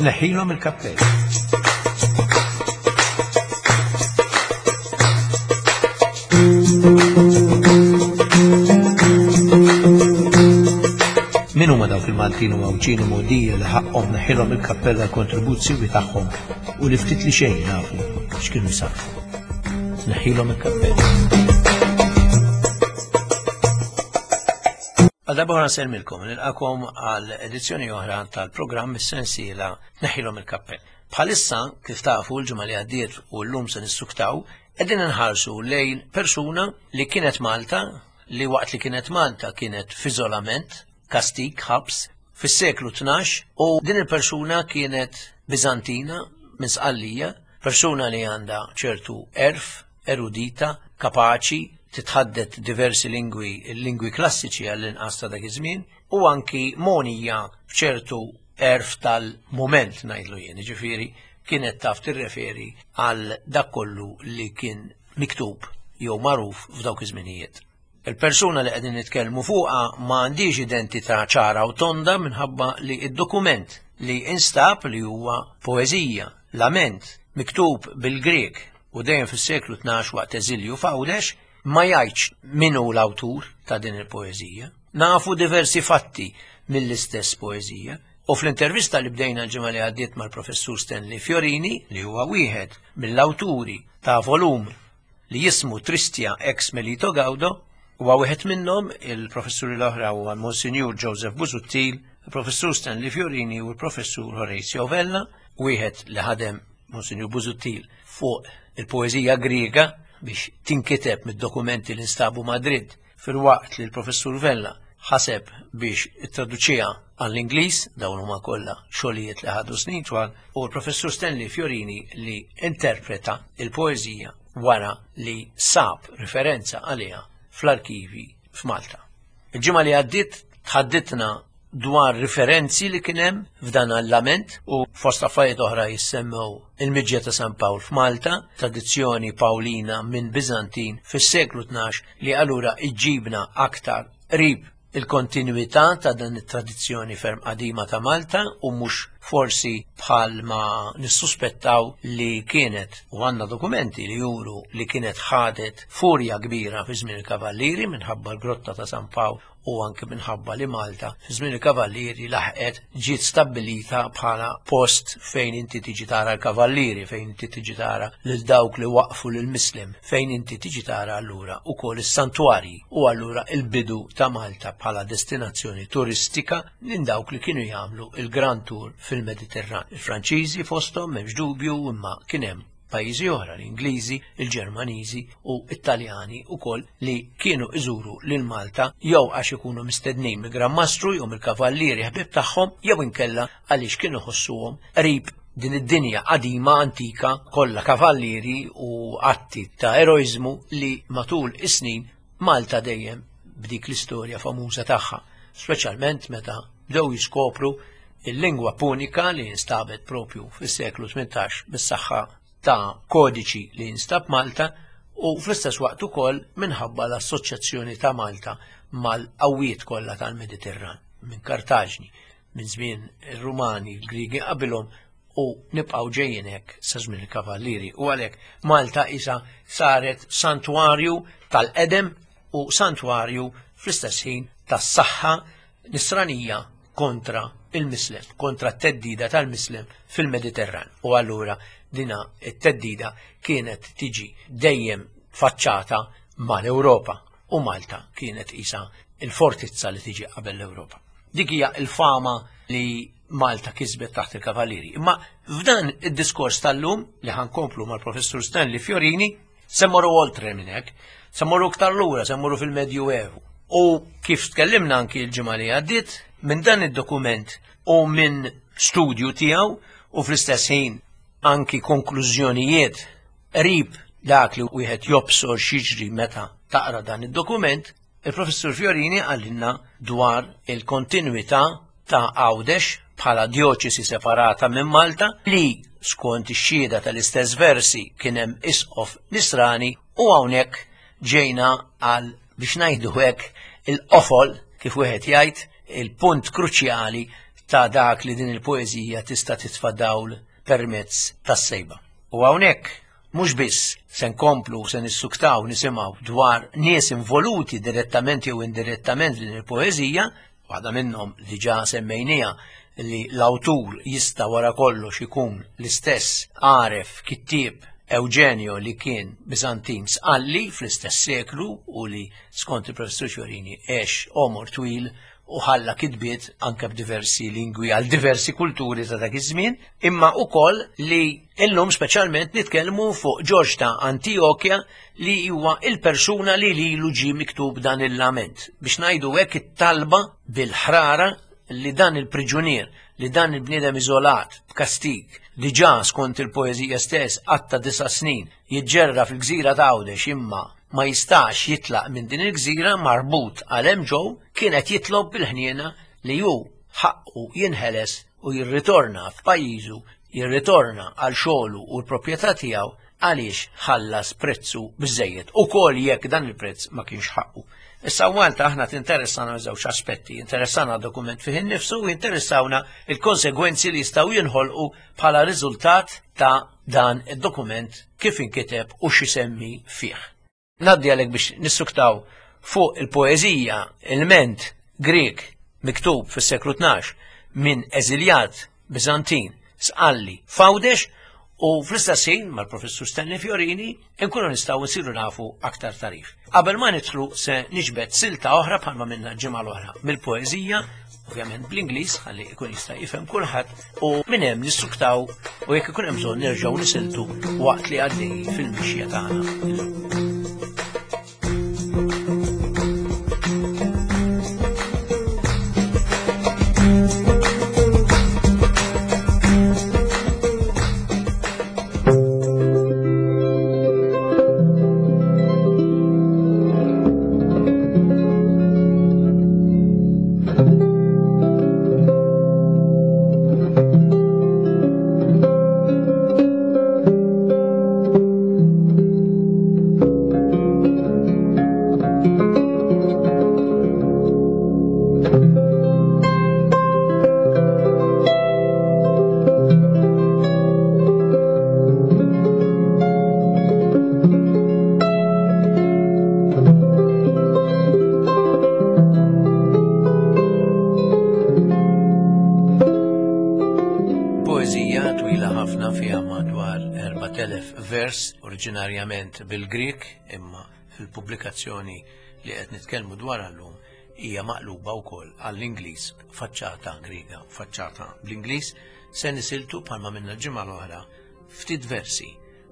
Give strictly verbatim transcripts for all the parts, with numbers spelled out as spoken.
Tneħħilhom il-kappell. Min huma dawk il-Maltin u Għawdxin u Mogħdija li ħaqqhom neħħilhom il-kappell għall-kontribuzzjoni tagħhom u li ftit li xejn nafu x'kienu jsarrfu. Tneħħilhom il-kappell. Għal darba oħra nsellmilkom, nilqakom għal edizzjoni oħra tal-programm is-sensiela Tneħħilhom il-kappell. Bħalissa, kif tafu l-ġimgħa li għaddiet u llum se nissuktaw, qegħdin inħarsu lejn persuna li kienet Malta, li waqt li kienet Malta kienet f'iżolament, kastig, ħabs, fis-seklu tnax, u din il-persuna kienet Biżantina minn Sqallija, persuna li għandha ċertu erf, erudita, kapaċi, titħaddet diversi lingwi, il-lingwi klassiċi għall-inqas ta' dak iż-żmien, u anki monija b'ċertu erf tal-mument ngħidlu jien, jiġifieri kienet taf tirreferi għal dak kollu li kien miktub jew magħruf f'dawk iż-żminijiet. Il-persuna li qegħdin nitkellmu fuqha ma għandix identità ċara u tonda minħabba li id-dokument li instab li huwa poeżija, lament, miktub bil-Grek u dejjem fis-seklu tnax waqt eżilju f'Għawdex, ma jgħidx min hu l-awtur ta' din il-poeżija. Nafu diversi fatti mill-istess poeżija. U fl-intervista li bdejna l-ġimgħa li għaddiet mal-professur Stanley Fiorini, li huwa wieħed mill-awturi ta' volum li jismu Tristia ex Melito Gaudo, huwa wieħed minnhom, il-professuri l-oħra huwa Monsignor Joseph Busuttil, il-professur Stanley Fiorini u l-professur Horatio Vella, wieħed li ħadem Monsignor Busuttil fuq il-poeżija Griega biex tinkiteb mid-dokumenti li nstabu Madrid, filwaqt li l-professur Vella ħaseb biex ittraduċiha għall-Ingliż, dawn huma kollha xogħlijiet li ħadu snin twal, u l-professur Stanley Fiorini li interpreta il-poeżija wara li sab referenza għaliha fl-arkivi f'Malta. Il-ġimgħa li għaddiet tħadditna dwar riferenzi li kien hemm f'dan l-lament u fost affarijiet oħra jissemmew il-miġja ta' San Pawl f'Malta, tradizzjoni Pawlina minn Biżantin fis-seklu tnax li allura iġġibna aktar qrib il-kontinuità ta' dan it-tradizzjoni ferm qadima ta' Malta u mhux forsi bħal ma nissuspettaw li kienet, u għandna dokumenti li juru li kienet ħadet furja kbira fi żmien il-Kavallieri minħabba l-grotta ta' San Pawl u anke minħabba li Malta fi żmien il-Kavallieri laħqet ġiet stabbilita bħala post fejn inti tiġi tara l-Kavallieri, fejn inti tiġi tara lil dawk li waqfu lil Muslim, fejn inti tiġi tara allura ukoll is-santwarji u allura il-bidu ta' Malta bħala destinazzjoni turistika minn dawk li kienu jagħmlu il-Grand Tour fil-Mediterran. Il-Franċiżi fosthom m'hemmx dubju, imma kien hemm pajjiżi oħra, l-Ingliżi, il-Ġermaniżi u Italjani wkoll li kienu iżuru lil Malta jew għax ikunu mistednin mill-Gran Mastru jew mill-Kavallieri ħbieb tagħhom jew inkella għaliex kienu ħossuhom qrib din id-dinja qadima antika kollha kavallieri u atti ta' eroiżmu li matul is-snin Malta dejjem b'dik l-istorja famuża tagħha, speċjalment meta bdew jiskopru il-lingwa punika li instabet propju fis-seklu tmintax bis-saħħa ta' kodiċi li instab Malta u fl-istess waqt ukoll minħabba l-assoċjazzjoni ta' Malta mal-qawwiet kollha tal-Mediterran, minn Kartaġni, minn żmien ir-Rumani, il-Griegi qabilhom u nibqgħu ġejjin hekk sa żmien il-Kavallieri. U għalhekk Malta isa saret santwarju tal-qedem u santwarju fl-istess ħin tas-saħħa nisranija kontra il-Mislem, kontra t-teddida tal-Mislem fil-Mediterran. U allura dina t-teddida kienet tiġi dejjem faċċata mal-Ewropa u Malta kienet isa il-fortizza li tiġi qabel l-Ewropa. Dik hija il-fama li Malta kisbet taħt il-Kavallieri. Imma f'dan id-diskors tal-lum li ħankomplu mal-professur Stanley Fiorini, se mmorru oltre minn hekk, se mmorru iktar lura, se mmorru fil-Medjuevu. U kif tkellimna anki l-ġimgħa li għaddiet, minn dan id-dokument u minn studju tiegħu u fl-istess ħin anki konklużjonijiet qrib dak li wieħed jobsor x'jiġri meta taqra dan id-dokument, il-professur Fiorini qalilna dwar il-kontinuità ta' Għawdex bħala djoċesi separata minn Malta li skont ix-xhieda tal-istess versi kien hemm isqof nisrani u hawnhekk ġejna għal biex ngħidu hekk il-qofol kif wieħed jgħid il-punt kruċjali ta' dak li din il-poeżija tista' titfa' dawl permezz tas-sejba. U hawnhekk mhux biss se nkomplu se nissuktaw nisimgħu dwar nies involuti direttament jew indirettament din il-poeżija, waħda minnhom diġà semmejniha li l-awtur jista' wara kollox ikun l-istess għaref kittieb Eugenio li kien Bizantin sqalli fl-istess seklu u li skont il-professur Fiorini għex għomor twil u ħalla kitbiet anke b'diversi lingwi għal diversi kulturi ta' dak iż-żmien, imma ukoll li illum speċjalment nitkellmu fuq Ġorġ ta' Antijokja li huwa il-persuna li lilu ġie miktub dan il-lament. Biex ngħidu hekk it-talba bil-ħrara li dan il-priġunier, li dan il-bniedem iżolat b'kastig, diġà skont il-poeżija stess għatta disa' snin jiġġerra fil-gżira ta' Għawdex imma ma jistax jitlaq minn din il-gżira marbut għal hemm ġew, kien qed jitlob bil-ħniena li hu ħaqqu jinħeles u jirritorna f'pajjiżu, jirritorna għal xogħlu u l-proprjetà tiegħu għaliex ħallas prezzu biżejjed, ukoll jekk dan il-prezz ma kienx ħaqqu. Issa Malta aħna tinteressana żewġ aspetti, interessana dokument fih innifsu u interessawna il-konsegwenzi li jistgħu jinħolqu bħala riżultat ta' dan id-dokument kif inkiteb u x'isemmi fih. Ngħaddi għalhekk biex nissuktaw fuq il-poeżija il-ment Grek miktub fis-seklu tnax minn eżiljat Bizantin sqalli f'Għawdex u fl-istess ħin mal-professur Stanley Fiorini nkunu nistgħu nsiru nafu aktar tarif. Qabel ma nidħlu se niġbed silta oħra bħalma minna ġimgħa l-oħra mill-poeżija, ovvjament bl-Ingliż ħalli jkun jista' jifhem kulħadd, u minn hemm nissuktaw u jekk ikun hemm bżonn nerġgħu nisiltu waqt li għaddej fil-mixja tagħna illum. Oriġinarjament bil-Grek, imma fil-pubblikazzjoni li qed nitkellmu dwar llum hija maqluba wkoll għall-Ingliż, faċċata Griega, faċċata bl-Ingliż. Se nisiltu bħalma minna l-ġimgħa l-oħra ftit versi.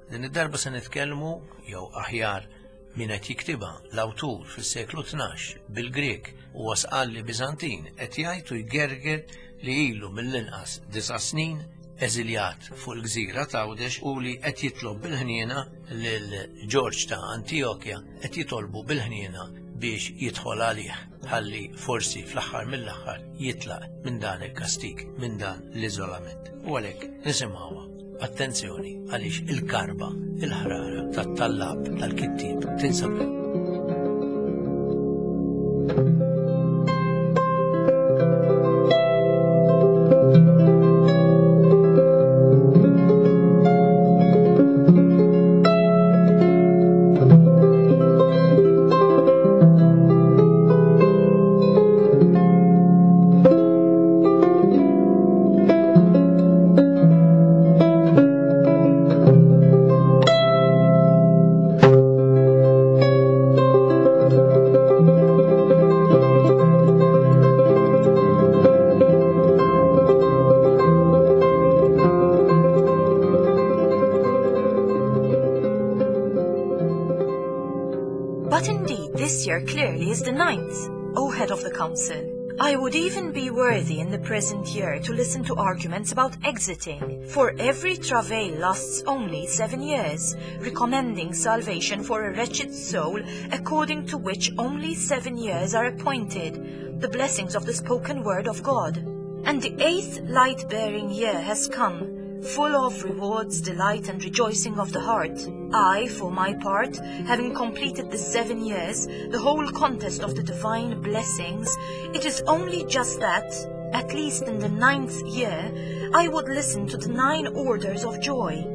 Din id-darba se nitkellmu jew aħjar min qed jiktibha l-awtur fis-seklu tnax bil-Grek huwa sqalli Bizantin qed jgħid u jgerger li ilu mill-inqas disa' snin eżiljat fuq il-gżira ta' Għawdex u li qed jitlob bil-ħniena lil Ġorġ ta' Antijokja, qed jitolbu bil-ħniena biex jidħol għalih ħalli forsi fl-aħħar mill-aħħar jitlaq minn dan il-kastig, minn dan l-iżolament. U għalhekk nisimgħuha. Attenzjoni għaliex il-karba, il-ħrara tat-tallab tal-kittieb tinsab. I would even be worthy in the present year to listen to arguments about exiting, for every travail lasts only seven years, recommending salvation for a wretched soul, according to which only seven years are appointed, the blessings of the spoken word of God. And the eighth light-bearing year has come, full of rewards, delight, and rejoicing of the heart. I, for my part, having completed the seven years, the whole contest of the divine blessings, it is only just that, At least in the ninth year, I would listen to the nine orders of joy,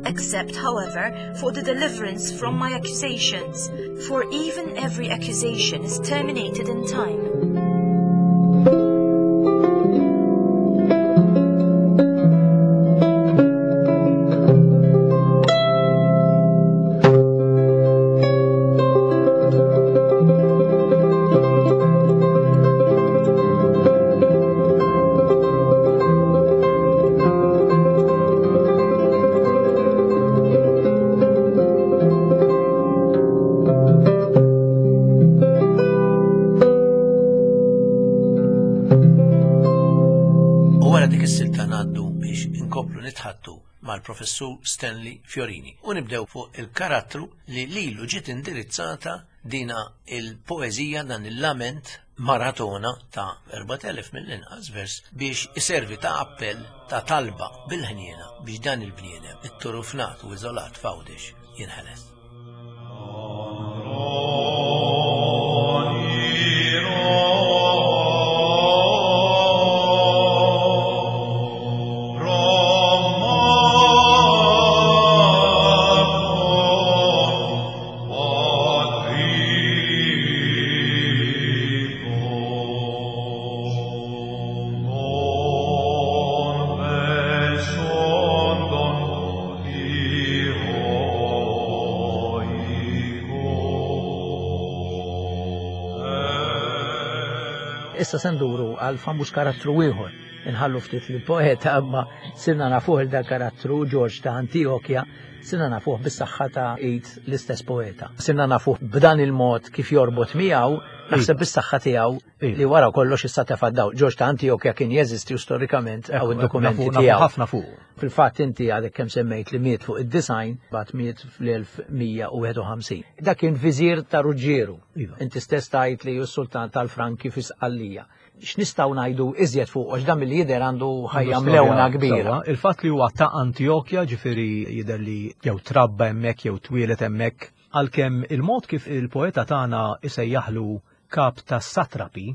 except, however, for the deliverance from my accusations, for even every accusation is terminated in time. U wara dik is-silta ngħaddu biex inkomplu nitħattu mal-professur Stanley Fiorini u nibdew fuq il-karattru li lilu ġiet indirizzata dina il-poeżija, dan il-lament maratona ta' erbat elef mill-inqas vers biex iservi ta' appell ta' talba bil-ħniena biex dan il-bniedem it-turufnat u iżolat f'Għawdex jinħeles. Issa se nduru għal famuż karattru ieħor. Inħallu ftit li poeta, imma sirna nafuh il dal karattru George ta' Antiochia, sirna nafuh bis-saħħa ta' id l-istess poeta. Sirna nafuh b'dan il-mod kif jorbot miegħu, naħseb bis-saħħa tiegħu li wara kollox issa tefa' dawl. George ta' Antiochia kien jeżisti u storikament hawn id-dokumenti tiegħu. Ħafna fuq. Fil-fatt inti għadek kemm semmejt li miet fuq id-disgħin, bat miet fl-elf mija u wieħed u ħamsin. Dak kien viżir ta' Ruġġieru. Iva. Inti stess tajt li hu sultan tal-Franki fi Sqallija. X'nistgħu ngħidu iżjed fuq, għax dan milli jidher għandu ħajja mlewna kbira. Sewwa, il-fatt li huwa ta' Antiochia, ġifieri jidher li jew trabba hemmhekk jew twieled hemmhekk, għalkemm il-mod kif il-poeta tagħna isejjaħlu kap ta' satrapi,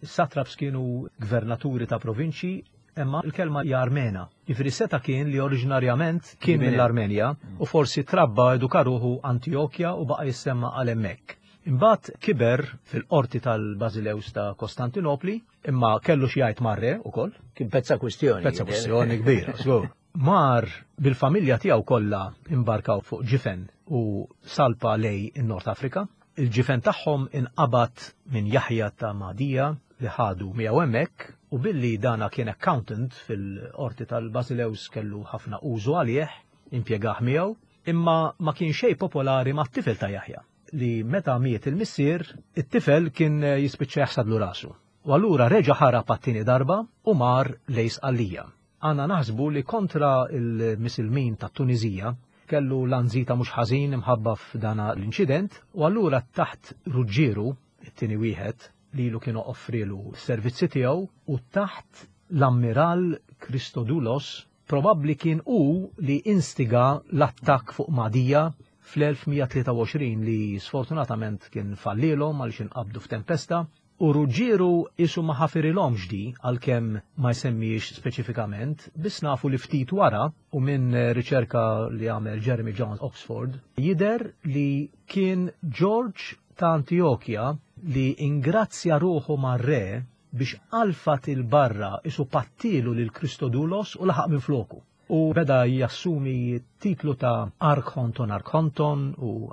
is-satraps kienu gvernaturi ta' provinċi, imma il-kelma hija Armena. Ġifieri seta' kien li oriġinarjament kien Minn mill-Armenja u forsi trabba, eduka ruħu Antiochia u baqa' jissemma għal hemmhekk. Imbagħad kiber fil-qorti tal-Bażileus ta' Kostantinopli, imma kellu xi jgħid mar-re ukoll. Kien pezza kwistjoni. Pezza jidher. Kwistjoni kbira, żgur. Mar bil-familja tiegħu kollha, imbarkaw fuq ġifen u salpa lejn in-Nord Afrika. Il-ġifen tagħhom inqabad minn Jaħja ta' Madija li ħadu miegħu hemmhekk, u billi dana kien accountant fil-qorti tal-Basileus kellu ħafna użu għalih, impjegah miegħu, imma ma kien xejn popolari mat-tifel ta' Jaħja li meta miet il-missier, it-tifel kien jispiċċa jaħsadlu rasu. U allura reġa' ħarab għat-tieni darba u mar lejn Sqallija. Għandna naħsbu li kontra il-Misilmin ta' Tunizija kellu lanzita mhux ħażin imħabba f'dana l-inċident, u allura taħt Ruġġieru, it-tieni wieħed, li lu kienu offrilu s-servizzi tiegħu, u taħt l-ammiral Christodulos, probabbli kien hu li instiga l-attakk fuq Madija fl-elf mija u tlieta u għoxrin li sfortunatament kien fallilhom għaliex inqabdu f'tempesta, u Ruġġieru isu ma ħafirilhomx di, għalkemm ma jsemmiex speċifikament, biss nafu li ftit wara, u minn riċerka li għamel Jeremy Jones Oxford, jider li kien George ta' Antiochia li ingrazzja ruħu mar-re biex alfat il-barra isu pattilu lil Christodulos u laħaq minn floku. U beda jassumi titlu ta' Archonton Archonton u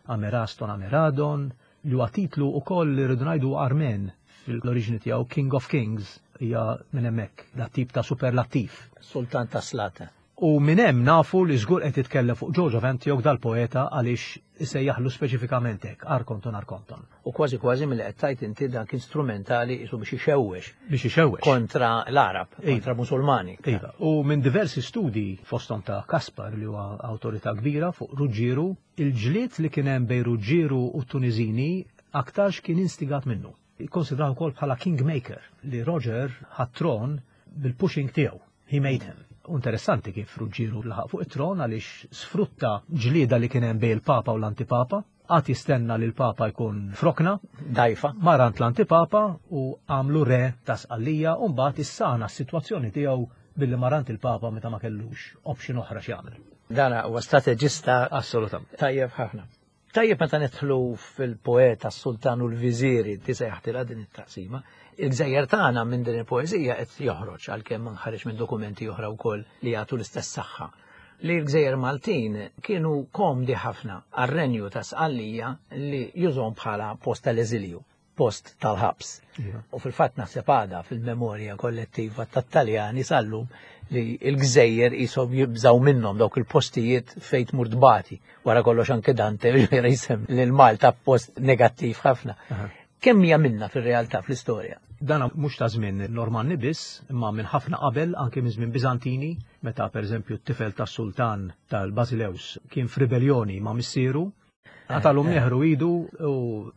Ameraston Ameradon, li huwa titlu ukoll li rridu ngħidu Armen fil-oriġini tiegħu, King of Kings, hija minn hemmhekk, dat tip ta' superlattiv. Sultan ta' Slata. U minn hemm nafu li żgur qed jitkellem fuq George of Antioch dal-poeta, għaliex isejjaħlu speċifikament hekk, Arkonton Arkonton. U kważi kważi mill qed tajt inti dan kien strumentali isu biex ixewwex Biex ixewwex. kontra l-Arab, Iva. kontra Musulmani. Iva. U minn diversi studi fosthom ta' Kaspar, li huwa awtorità kbira fuq Ruġġieru, il-ġlied li kien hemm bejn Ruġġieru u Tunizini aktarx kien instigat minnu. Ikkonsidraw ukoll bħala kingmaker, li Roger ħa t-tron bil-pushing tiegħu. He made him. U interessanti kif Ruġġieru laħaq fuq it-tron, għaliex sfrutta ġlieda li kien hemm bejn il-Papa u l-Antipapa. Għad jistenna li l-Papa jkun frokna. Dajfa. Mar għand l-antipapa u għamlu re ta' Sqallija u mbagħad issana s-sitwazzjoni tiegħu billi mar għand il-Papa meta ma kellux option oħra x'jagħmel. Dana huwa strateġista Assolutament. Tajjeb ħafna. Tajjeb meta nidħlu fil-poeta s-Sultan u l-Viżiri tisejħtilha din it-taqsima, il-gżejjer tagħna minn din il-poeżija qed joħroġ għalkemm nħareġ minn dokumenti oħra wkoll li jagħtu l-istess saħħa. Li l-gżejjer Maltin kienu komdi ħafna għar-renju ta' Sqallija li jużhom bħala post tal-eżilju, post tal-ħabs. U fil-fatt naħseb għadha fil-memorja kollettiva tat-Taljani sal-lum li l-gżejjer jisom jibżaw minnhom dawk il-postijiet fejn tmur tbati. Wara kollox anke Dante jisem lil Malta post negattiv ħafna. Kemm hija minna fir-realtà fl-istorja? Dana mhux ta' żmien Normanni biss, imma minn ħafna qabel anke minn żmien Biżantini, meta pereżempju t-tifel tas-sultan tal-Basileus kien f'ribellioni ma' missieru, qatalu mneħru idu u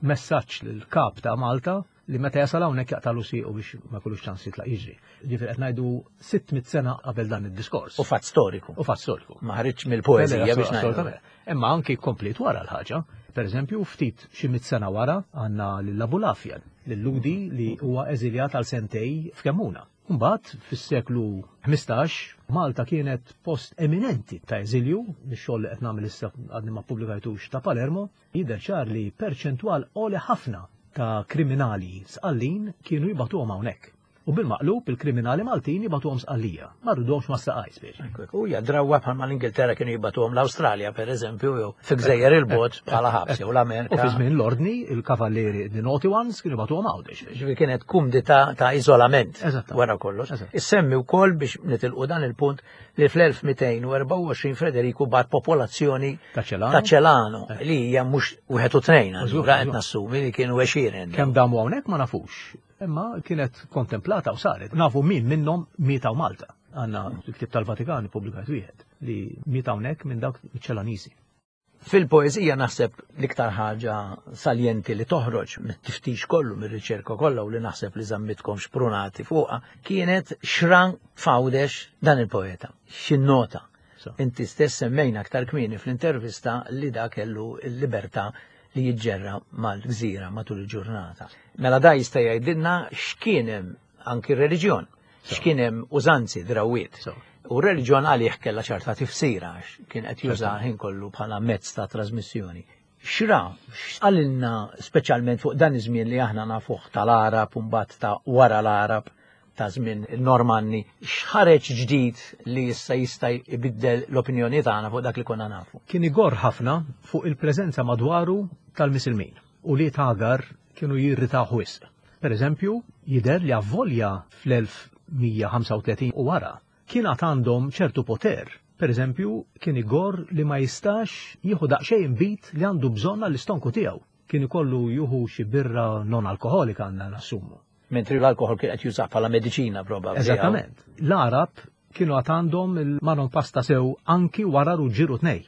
messaġġ lill-kap ta' Malta li meta jasal hawnhekk jaqtalu siequ biex ma jkollux ċans jitlaq jiġri. Ġifieri qed ngħidu sitt mitt sena qabel dan id-diskors. U fatt storiku. U fatt storiku. Ma ħareġ mill-poeżija biex ngħidu. Imma anki komplet wara l-ħaġa. Per eżempju, ftit xi mitt sena wara għandna lil Abulafja, lil-Ludi li huwa eżiljat għal sentej f'Kemmuna. Mbagħad fis-seklu ħmistax Malta kienet post eminenti ta' eżilju, bix-xogħol li qed nagħmel issa għadni ma ppubblikajtux ta' Palermo, jidher ċar li perċentwal għoli ħafna ta' kriminali Sqallin kienu jibatuhom hawnhekk. U bil-maqlub il-kriminali Maltin jibatuhom Sqallija, ma rridhomx ma saqaj speċi. U hija drawwa bħalma l-Ingilterra kienu jibatuhom l-Awstralja pereżempju jew fi gżejjer il-bogħod bħala ħabs jew l-Amerika. U fi żmien l-ordni il-kavallieri the naughty ones kienu jibatuhom Għawdex. Ġifieri kienet kumdità ta' iżolament Eżattament. wara kollox. Eżatt. Issemmi wkoll biex nitilqu dan il-punt li fl-elf mitejn u erbgħa u għoxrin Federiku bat popolazzjoni Ta' Ċelano. ta' Ċelano li hija mhux wieħed u tnejn, Żgur, allura qed żgur. nassumi li kienu għexieren. Kemm damu hawnhekk ma nafux. Imma kienet kontemplata u saret. Nafu min minnhom miet hawn Malta. Għandna l-ktib tal-Vatikan ippubblikat wieħed li miet hawnhekk minn dawk iċ-Ċelaniżi. Fil-poeżija naħseb l-iktar ħaġa saljenti li toħroġ mit-tiftix kollu, mir-riċerka kollha u li naħseb li żammitkom xprunati fuqha, kienet xran fawdex dan il-poeta. X'innota. So. Inti stess semmejna aktar kmieni fl-intervista li da kellu l-libertà li jiġġerra mal-gżira matul il-ġurnata. Mela da jista' jgħidilna x'kien hemm anki r-reliġjon, x'kien hemm użanzi drawiet. So. U r-reliġjon għalih kellha ċerta tifsira għax kien qed juża ħin kollu bħala mezz ta' trasmissjoni. Xra, x'qalilna speċjalment fuq dan iż-żmien li aħna nafuh tal-Arab u mbagħad ta' wara l-Arab ta' żmien il-Normanni, x'ħareġ ġdid li issa jista' jbiddel l-opinjoni tagħna fuq dak li konna nafu? Kien igor ħafna fuq il-preżenza madwaru tal-Misilmin u li tagar kienu jirritaw wisq. Per eżempju, jidher li avvolja fl-elf mija ħamsa u tletin u wara kien għad għandhom ċertu poter. Per eżempju, kien igor li ma jistax jieħu daqsxejn inbid li għandu bżonn għall-istonku tiegħu. Kien ikollu jieħu xi birra non alkoholika għandna nassumu. Mentri l-alkohol kien qed jużah bħala mediċina probabbli. Eżattament. L-Arab kienu għad għandhom il-manon pasta sew anki wara ruġġieru tnej.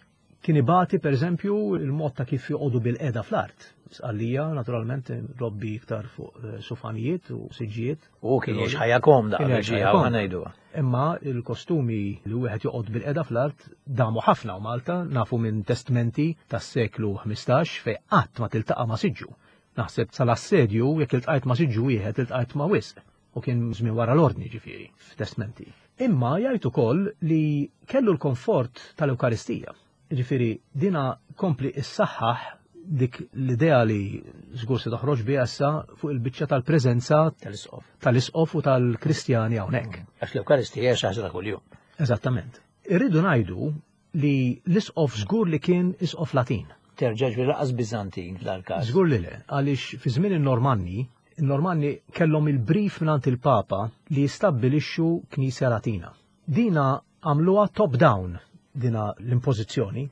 Kien ibati per eżempju il-mod ta' kif joqogħdu bil-qeda fl-art. Sqallija naturalment robbi iktar fuq, eh, sufanijiet u siġġijiet. U kien jgħix ħajja komda Kien qabel jgħix ġie ħajja hawn komda. ngħiduha. Imma il-kostumi li wieħed joqgħod bil-qeda fl-art damu ħafna u Malta nafu minn testmenti tas-seklu ħmistax fejn qatt ma tiltaqa' ma' siġġu. Naħseb sal-assedju jekk iltqajt ma' siġġu wieħed iltqajt ma' wisq u kien żmien wara l-ordni ġifieri f'testmenti. Imma jgħid ukoll li kellu l-komfort tal-Ewkaristija. Ġifieri dina kompli issaħħaħ dik l-idea li żgur se toħroġ biha issa fuq il-biċċa tal-preżenza tal-isqof. tal-isqof u tal-Kristjani hawnhekk. Għax l-Ewkaristija hija xi ħaġa ta' kuljum. Eżattament. Irridu ngħidu li l-isqof żgur li kien isqof Latin. Terġa' ġifieri laqas Biżantin f'dal-każ. Żgur li le, għaliex fi żmien in-Normanni, in-Normanni kellhom il-brief mingħand il-Papa li jistabbilixxu Knisja Latina. Dina għamluha top down, dina l-impożizzjoni.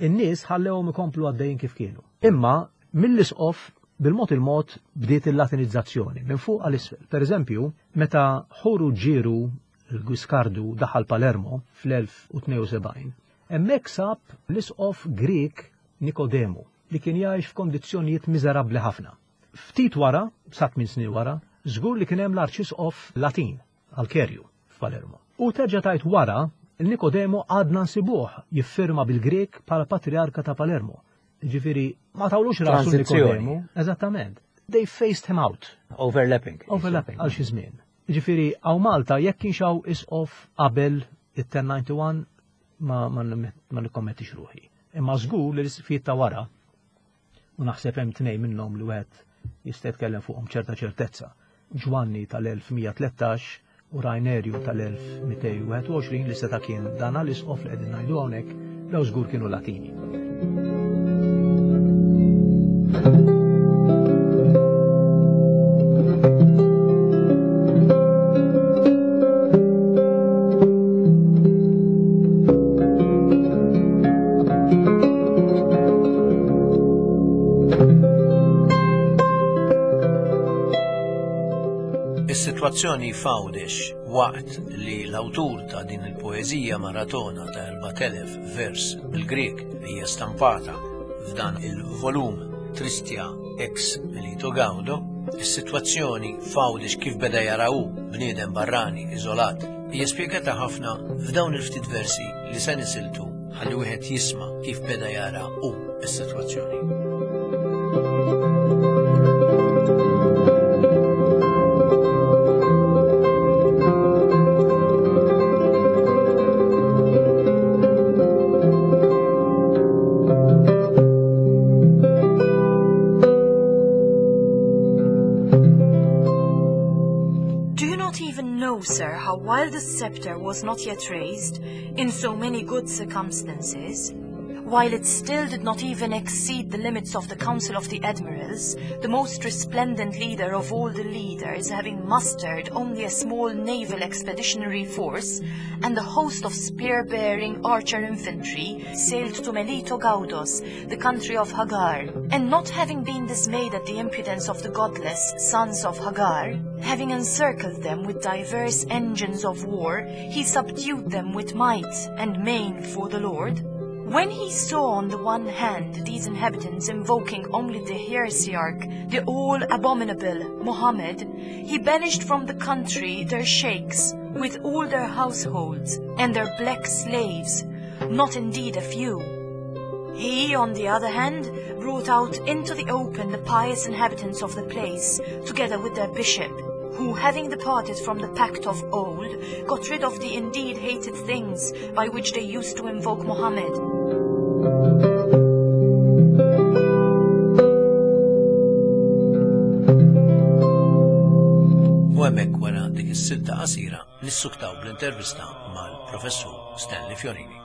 In-nies ħallewhom ikomplu għaddejjin kif kienu. Imma mill-isqof bil-mod il-mod bdiet il-latinizzazzjoni minn fuq għal isfel. Per eżempju, meta ħoru ġieru l-Guiscardu daħal Palermo fl-elf u tnejn u sebgħin, hemmhekk sab l-isqof Grek Nikodemu li kien jgħix f'kondizzjonijiet miżerabbli ħafna. Ftit wara, sa tmien snin wara, żgur li kien hemm l-arċisqof Latin Alkerju f'Palermo. U terġa' tajt wara, il-Nikodemu għadna nsibuh jiffirma bil-Grek bħala Patriarka ta' Palermo. Ġifieri Ma tawlux rasu Nikodemu. Eżattament. They faced him out. Overlapping. Overlapping, għal xi żmien. Ġifieri hawn Malta jekk kienx hawn isqof qabel it-ten ninety-one ma, ma, ma nikkommettix ruħi. Imma żgur li l-isqfijiet ta' wara, u naħseb hemm tnejn minnhom li wieħed jista' jitkellem fuqhom ċerta ċertezza. Ġwanni tal-elf mija tlettax u Rainerju tal-elf mitej wieħed u għoxrin li seta' kien dan l-isqof li qegħdin ngħidu hawnhekk, daw żgur kienu Latini. Is-sitwazzjoni f'Għawdex waqt li l-awtur ta' din il-poeżija maratona ta' erbat elef vers bil-Grek li hija stampata f'dan il-volum Tristia ex Melito Gaudo, is-sitwazzjoni f'Għawdex kif beda jaraw bniedem barrani iżolat hija spjegata ħafna f'dawn il-ftit versi li se nisiltu ħalli wieħed jisma' kif beda jara hu s-sitwazzjoni. Sir, how while the scepter was not yet raised, in so many good circumstances, while it still did not even exceed the limits of the Council of the Admirals, the most resplendent leader of all the leaders, having mustered only a small naval expeditionary force and a host of spear-bearing archer infantry, sailed to Melito Gaudos, the country of Hagar, and not having been dismayed at the impudence of the godless sons of Hagar, having encircled them with diverse engines of war, he subdued them with might and main for the Lord. When he saw on the one hand these inhabitants invoking only the heresiarch, the all-abominable Mohammed, he banished from the country their sheikhs, with all their households, and their black slaves, not indeed a few. He, on the other hand, brought out into the open the pious inhabitants of the place, together with their bishop, who, having departed from the pact of old, got rid of the indeed hated things by which they used to invoke Mohammed. U hemmhekk wara dik is-silta qasira nissuktaw bl-intervista mal-Professur Stanley Fiorini.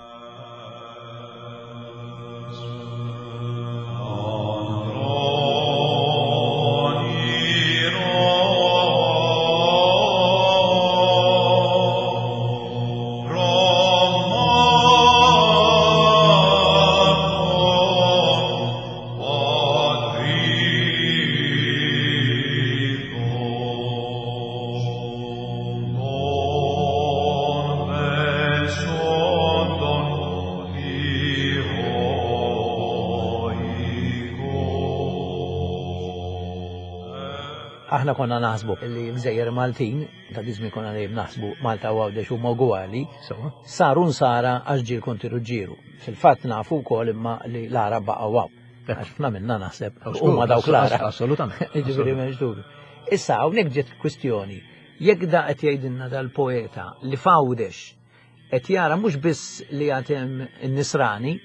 Aħna konna naħsbu li l-gżejjer Maltin, ta' diżmi konna dejjem naħsbu Malta u Għawdex huma ugwali, saru nsara għax ġie l-Konti Ruġġieru. Fil-fatt nafu wkoll imma li l-Għarab baqgħu hawn. Għax ħafna minna naħseb huma dawk l-Għarab. Assolutament. Jiġifieri m'hemmx dubju. Issa hawnhekk ġiet kwistjoni. Jekk da qed jgħidilna dal-poeta li f'Għawdex qed jara mhux biss li għad hemm in-Nisrani,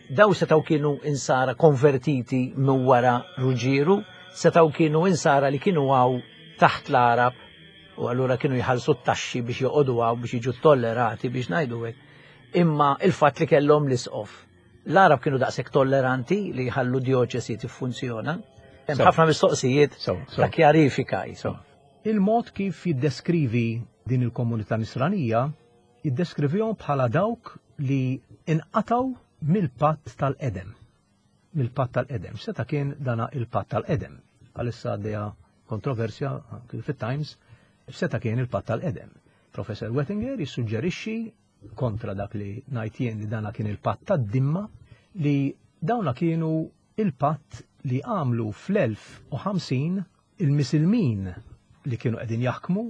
daw setgħu kienu insara konvertiti minn wara Ruġġieru, setgħu kienu insara li kienu għaw taħt l-Għarab u allura kienu jħallsu t-taxxi biex joqogħdu għaw biex jiġu tollerati biex ngħidu hekk. Imma il-fatt li kellhom l-isqof. L-Għarab kienu daqshekk tolleranti li jħallu dioċesi tiffunzjona. Hemm ħafna mistoqsijiet ta' kjarifika. Il-mod kif jiddeskrivi din il-komunità nisranija, jiddeskrivihom bħala dawk li inqataw mill-patt tal-Edem. Mill-patt tal-Edem. Seta' kien dana il-patt tal-Edem. Għalissa għaddejja kontroversja anki fit-Times, seta' kien il-patt tal-Edem. Professor Wettinger jissuġġerixxi kontra dak li ngħid jien li dana kien il-patt tad-dimma, li dawna kienu il-patt li għamlu fl-elf u ħamsin il-misilmin li kienu qegħdin jaħkmu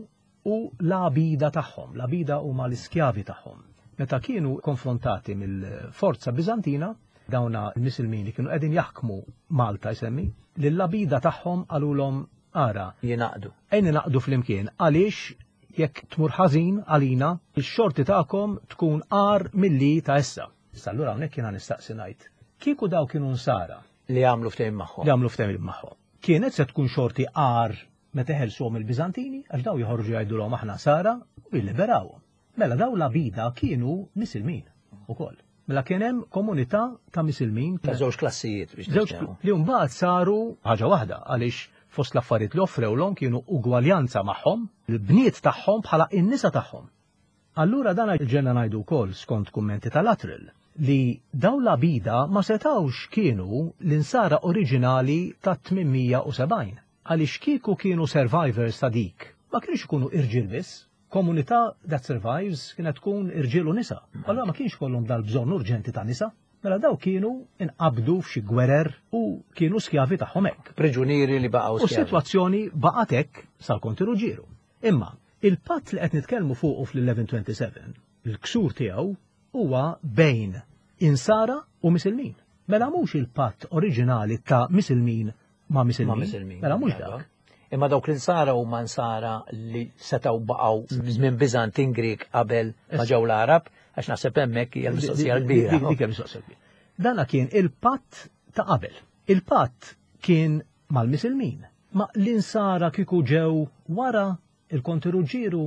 u l-abida tagħhom, l-abida huma l-iskjavi tagħhom. Meta kienu konfrontati mill-forza Bizantina, Dawna l-Misilmin li kienu qegħdin jaħkmu Malta jsemmi, li l-labida tagħhom qalulhom ara. Jingħaqdu. Ejn naqdu flimkien għaliex jekk tmur ħażin għalina, ix-xorti tagħkom tkun agħar milli ta' issa. Issa allura hawnhekk jiena nistaqsi ngħid. Kieku daw kienu nsara Li għamlu ftehim magħhom. Li għamlu ftehim magħhom. Kienet se tkun xorti agħar meta ħelsuhom il-Biżantini, għax daw joħorġu jgħidulhom aħna nsara u jilliberawhom. Mela daw l-abida kienu Misilmin ukoll. Mela kien hemm komunità ta' Misilmin. Ta' żewġ klassijiet biex Żewġ li mbagħad saru ħaġa waħda għaliex fost l-affarijiet li offrewlhom kienu ugwaljanza magħhom, il-bniet tagħhom bħala in-nisa tagħhom. Allura dan ġenna ngħidu wkoll skont kummenti tal-Atril li daw l-abida ma setawx kienu l-insara oriġinali ta' tmien mija u sebgħin. Għaliex kieku kienu survivors ta' dik, ma kienux ikunu irġiel biss. Komunità that survives kienet tkun irġiel u nisa. Allura ma kienx kollhom dal-bżonn urġenti ta' nisa. Mela daw kienu inqabdu f'xi gwerer u kienu skjavi tagħhom hekk. Priġunieri li baqgħu U s-sitwazzjoni baqgħet hekk sal-Konti Ruġġieru. Imma il-patt li qed nitkellmu fuqu fl-elef u tmien mija u sebgħa u disgħin, il-ksur tiegħu huwa bejn insara u misilmin. Mela mhux il-patt oriġinali ta' misilmin ma' misilmin. Ma' misilmin. Mela mhux dak. Imma dawk l-insara huma nsara li setgħu baqgħu żmien Biżantin Grieg qabel ma ġew l-Arab, għax naħseb hemmhekk hija l-mistoqsija l-kbira. Dik hija mistoqsija kbira. Dana kien il-patt ta' qabel. Il-patt kien mal-misilmin. Ma l-insara kieku ġew wara il-Konti Ruġġieru,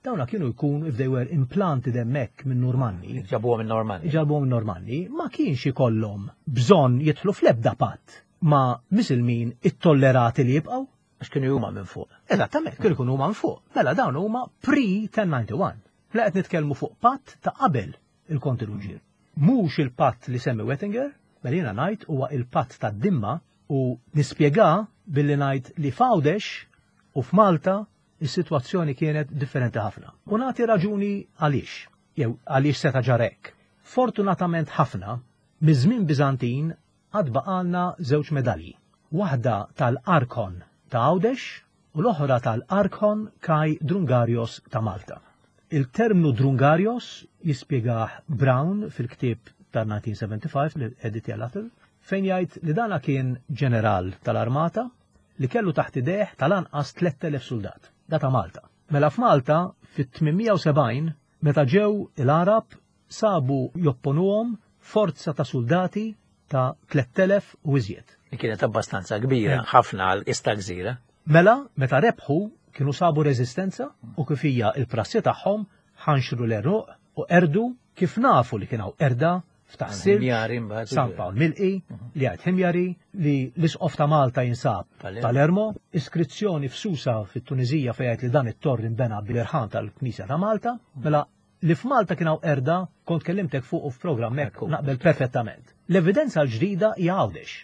dawna kienu jkun if they were implanted hemmhekk minn Normanni. Ġabuhom minn Normanni. Ġabuhom minn Normanni, ma kienx ikollhom bżonn jidħlu fl-ebda patt ma' misilmin ittollerati li jibqgħu. Għax kienu huma minn fuq. Eżattament, kienu jkunu huma minn fuq. Mela dawn huma pre-elef u tmien mija u disgħa u disgħin. Mela qed nitkellmu fuq patt ta' qabel il-Konti Ruġġieru. Mhux il-patt li semmi Wettinger, mela jiena ngħid huwa il-patt ta' Dimma u nispjega billi ngħid li f'Għawdex u f'Malta is-sitwazzjoni kienet differenti ħafna. U nagħti raġuni għaliex, jew għaliex seta' ġarek. Fortunatament ħafna, miż-żmien Biżantin għad baqalna żewġ medalji. Waħda tal-Arkon ta' Għawdex u l-oħra tal-Arkon Kai Drungarios ta' Malta. Il-terminu Drungarios jispjegah Brown fil-ktieb ta' elf disa' mija u sebgħa u ħamsin li editja Lattle, fejn jgħid li dana kien ġeneral tal-armata li kellu taħt idejh tal-anqas tlett elef soldat. Da ta' Malta. Mela f'Malta fit-tmien mija u sebgħin meta ġew il-Arab sabu jopponuhom forza ta' soldati ta' tlett elef u iżjed. Li kienet abbastanza kbira, ħafna għal ista gżira. Mela, meta rebħu kienu sabu reżistenza u kif hija il-prassi tagħhom ħanxru l-għeruq u qerdu, kif nafu li kien hawn qerda f'Tas-Silġ, Ħimjari mbagħad. San Pawl Milqi, li għad Ħimjari, li l-isqof ta' Malta jinsab Palermo. Palermo, iskrizzjoni f'Susa fit-Tunizija fejn jgħid li dan it-torri nbena bil-irħan tal-Knisja ta' Malta, mela li f'Malta kien hawn qerda kont kellimtek fuq f'programm hekk Ekku. naqbel perfettament. L-evidenza l-ġdida hija Għawdex.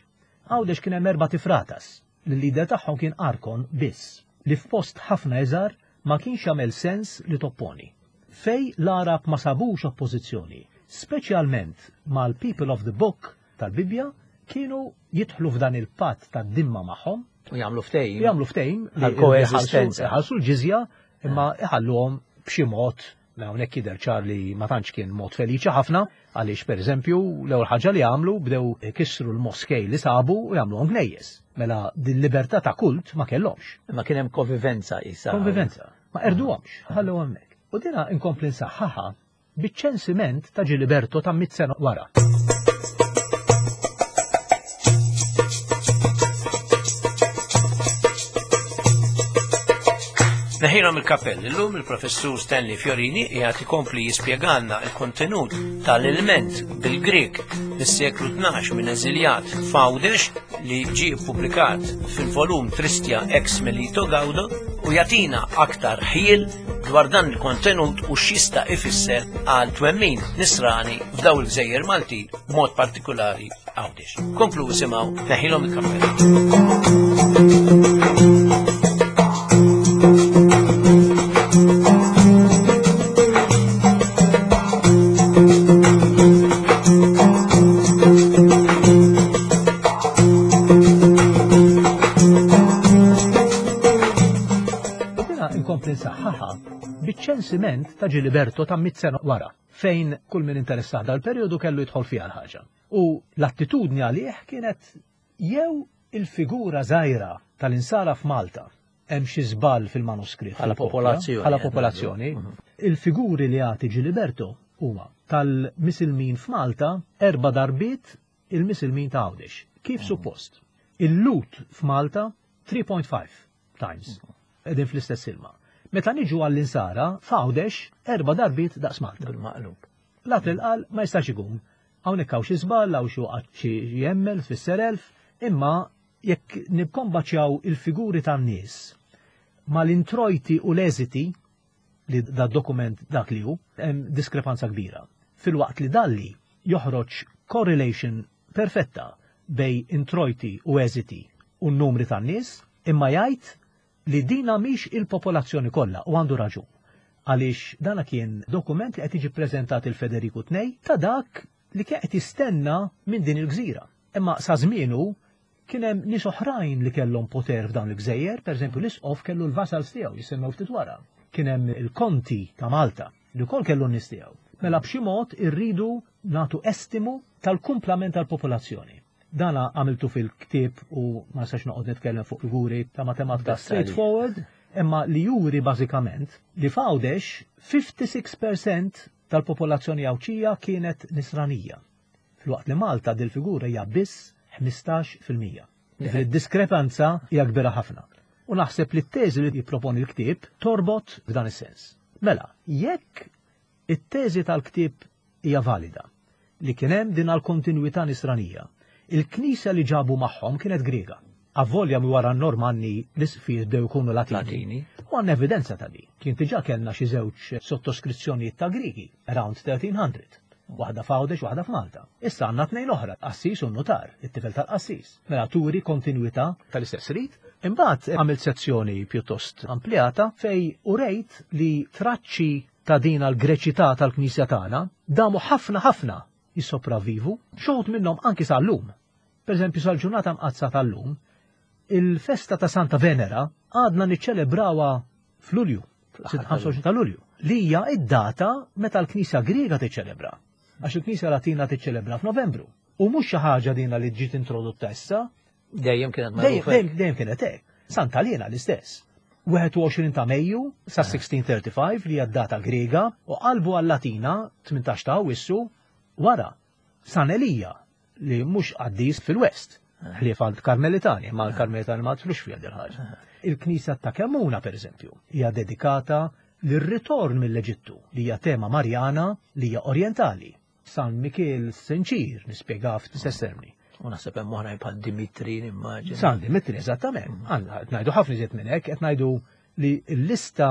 Għawdex kien hemm erba' tifratas li l-lider tagħhom kien Arkon biss, li f'post ħafna iżgħar ma kienx jagħmel sens li topponi. Fej l-Arab ma sabux oppożizzjoni, speċjalment mal-People of the Book tal-Bibja, kienu jidħlu f'dan il-patt tad-dimma magħhom, U jagħmlu ftehim. jagħmlu ftehim li Għal koeżistenza. iħallsu l-ġizja imma iħalluhom b'xi mod. Mela hawnhekk jidher ċar li ma tantx kien mod feliċi ħafna għaliex pereżempju l-ewwel ħaġa li għamlu bdew ikissru l-moskej li sabu u jagħmluhom knejjes. Mela din libertà ta' kult ma kellhomx. Imma kien hemm konvivenza isa. Konvivenza. Ma qerduhomx, ħallew hemmhekk. U dina inkompli nsaħħaħa biċ-ċensiment ta' Giliberto ta' mit sena wara. Neħilhom il-kappell, illum il-professur Stanley Fiorini qiegħed ikompli jispjegalna il-kontenut tal-ilment bil-Grek mis-seklu tnax minn eżiljat f'Għawdex li ġie ppubblikat fil-volum Tristia ex Melito Gaudo u jagħtina aktar ħjiel dwar dan il-kontenut u x'jista' ifisser għal twemmin nisrani f'daw il-gżejjer Maltin, b'mod partikolari Għawdex. Komplu isimgħu Neħilhom il-kappell. U dina inkompli nsaħħaħa biċ-ċensiment ta' Giliberto ta' mit sena wara, fejn kull min interessat dal-perjodu kellu jidħol fiha l-ħaġa. U l-attitudni għalih kienet jew il-figura żgħira tal-insara f'Malta hemm xi żball fil-manuskritt. Bħala popolazzjoni. Bħala popolazzjoni. Mhm. Il-figuri li jagħti Giliberto huma tal-Misilmin f'Malta erba' darbiet il-Misilmin ta' Għawdex. Kif Mhm. suppost? Il-Lhud f'Malta three point five times. Mhm. Qegħdin fl-istess ilma. Meta niġu għall-insara, f'Għawdex erba' darbiet daqs Malta. Bil-maqlub. Latri qal ma jistax ikun. Hawnhekk hawn xi żball, hawn xi waqgħat xi jemmel tfisser elf, imma jekk nikkombaċjaw il-figuri tan-nies mal-introjti u l-eżiti li da dokument dak li hu, hemm diskrepanza kbira. Filwaqt li Dalli joħroġ correlation perfetta bejn introjti u eżiti u n-numri tan-nies, imma jgħid li dina mhix il-popolazzjoni kollha u għandu raġun. Għaliex dana kien dokument li qed jiġi ppreżentat il Federiku tnejn ta' dak li kien qed jistenna minn din il-gżira. Imma sa żmienu kien hemm nies oħrajn li kellhom poter f'dawn il-gżejjer, pereżempju l-isqof kellu l-vasals tiegħu jisemmew ftit wara. Kien hemm il-konti ta' Malta li wkoll kellu n-nies tiegħu. Mela b'xi mod irridu nagħtu estimu tal-kumplament tal-popolazzjoni. Dana għamiltu fil-ktieb u ma nistax noqgħod nitkellem fuq figuri ta' matematika Dettalji. straightforward, imma li juri bażikament li f'Għawdex fifty-six percent tal-popolazzjoni Għawdxija kienet nisranija. Filwaqt li Malta dil-figura hija biss ħmistax fil-mija. Ġifieri d-diskrepanza hija kbira ħafna. U naħseb li t-teżi li jipproponi l-ktieb torbot f'dan is-sens. Mela, jekk it-teżi tal-ktieb hija valida li kien hemm din għal-kontinwità nisranija, il-knisja li ġabu magħhom kienet Griega. Avolja mi wara n-Normanni l-isqfijiet bdew ikunu Latini. Latini. U għandna evidenza ta' di. Kien diġà kellna xi żewġ sottoskrizzjonijiet ta' Grigi around thirteen hundred. Waħda f'Għawdex, waħda f'Malta. Issa għandna tnejn oħra, qassis u notar, it-tifel tal-qassis. Mela turi kontinwità tal-istess rit. Imbagħad għamilt sezzjoni pjuttost amplijata fej urejt li traċċi ta' din l-Greċità tal-Knisja tagħna damu ħafna ħafna jissopravvivu, xi wħud minnhom anki sal-lum. Per eżempju, sal-ġurnata mqaddsa tal-lum, il-festa ta' Santa Venera għadna niċċelebrawha f'Lulju, ħamsa u għoxrin ta' Lulju, li hija id-data meta l-Knisja Griega tiċċelebra. Għax il-Knisja Latina tiċċelebra f'Novembru. U mhux xi ħaġa dina li ġiet introdotta issa, Dejjem kienet dejjem magħrufa. dejjem- dejjem kienet hekk. Santa Lena l-istess. wieħed u għoxrin ta' Mejju sa sixteen thirty-five li hija d-data Griega u qalbu għal-Latina tmintax ta' Awwissu wara. San Elija li mhux qaddis fil-West. Ħlief għal Karmelitani, ma l-Karmelitani ma tlux fiha dil ħaġa. Il-Knisja ta' Kemmuna, per eżempju, hija dedikata lir-ritorn mill-Eġittu, li hija tema Marjana li hija orientali. San Mikiel Senċir nispjega f'istess termini. U naħseb hemm oħrajn bħal Dimitri, nimmaġina. San Dimitri, eżattament. Għandna qed ngħidu ħafna iżjed minn hekk, qed ngħidu li l-lista